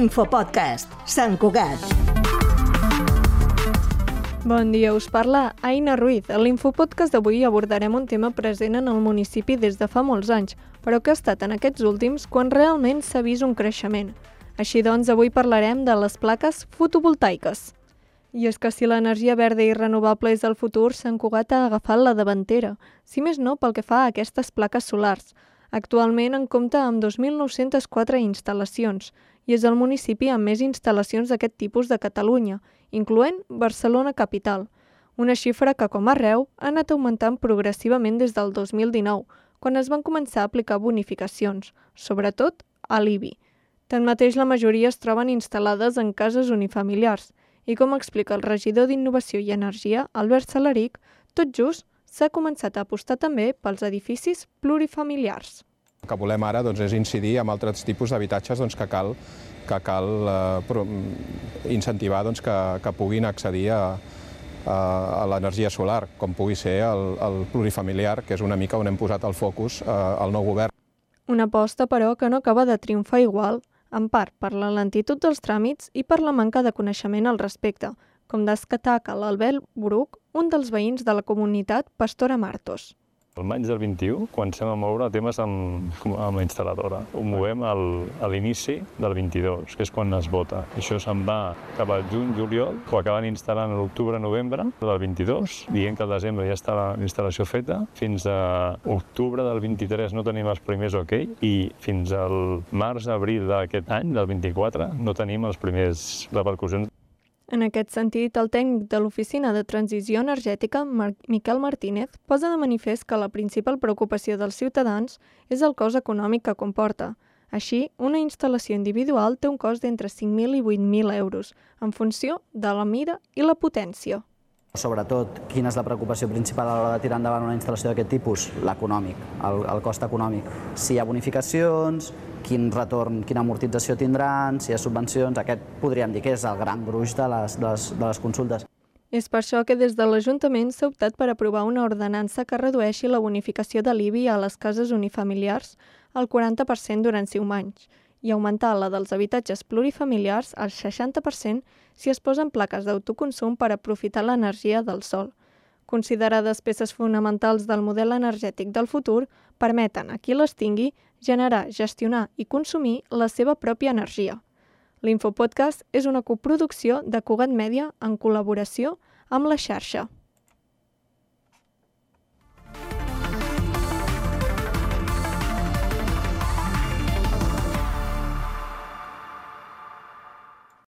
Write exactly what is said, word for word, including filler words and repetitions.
Infopodcast, Sant Cugat. Bon dia, us parla Aina Ruiz. A l'Infopodcast d'avui abordarem un tema present en el municipi des de fa molts anys, però que ha estat en aquests últims quan realment s'ha vist un creixement. Així doncs, avui parlarem de les plaques fotovoltaiques. I és que si l'energia verda i renovable és el futur, Sant Cugat ha agafat la davantera, si més no pel que fa a aquestes plaques solars. Actualment en compta amb dos mil nou-cents quatre instal·lacions i és el municipi amb més instal·lacions d'aquest tipus de Catalunya, incloent Barcelona capital. Una xifra que, com arreu, ha anat augmentant progressivament des del dos mil dinou, quan es van començar a aplicar bonificacions, sobretot a l'I B I. Tanmateix, la majoria es troben instal·lades en cases unifamiliars i, com explica el regidor d'Innovació i Energia, Albert Salaric, tot just s'ha començat a apostar també pels edificis plurifamiliars. El que volem ara doncs, és incidir en altres tipus d'habitatges doncs, que cal, que cal eh, incentivar doncs, que, que puguin accedir a, a, a l'energia solar, com pugui ser el, el plurifamiliar, que és una mica on hem posat el focus eh, al nou govern. Una aposta, però, que no acaba de triomfar igual, en part per la lentitud dels tràmits i per la manca de coneixement al respecte, com destaca l'Albert Bruc, un dels veïns de la comunitat Pastora Martos. El maig del vint-i-u comencem a moure temes amb, amb la instal·ladora. Ho movem al, a l'inici del vint-i-dos, que és quan es vota. Això se'n va cap al juny, juliol, ho acaben instal·lant a l'octubre, novembre del vint-i-dos, dient que al desembre ja està la instal·lació feta. Fins a octubre del vint-i-tres no tenim els primers ok i fins al març, abril d'aquest any, del vint-i-quatre, no tenim els primers repercussions. En aquest sentit, el tècnic de l'Oficina de Transició Energètica, Mar- Miquel Martínez, posa de manifest que la principal preocupació dels ciutadans és el cost econòmic que comporta. Així, una instal·lació individual té un cost d'entre cinc mil i vuit mil euros, en funció de la mida i la potència. Sobretot, quina és la preocupació principal a l'hora de tirar endavant una instal·lació d'aquest tipus? L'econòmic, el, el cost econòmic. Si hi ha bonificacions, quin retorn, quina amortització tindran, si hi ha subvencions, aquest podríem dir que és el gran gruix de les, de les, de les consultes. És per això que des de l'Ajuntament s'ha optat per aprovar una ordenança que redueixi la bonificació de l'I B I a les cases unifamiliars al quaranta per cent durant cinc anys i augmentar la dels habitatges plurifamiliars al seixanta per cent si es posen plaques d'autoconsum per aprofitar l'energia del sol. Considerades peces fonamentals del model energètic del futur, permeten a qui les tingui generar, gestionar i consumir la seva pròpia energia. L'Infopodcast és una coproducció de Cugat Mèdia en col·laboració amb la xarxa.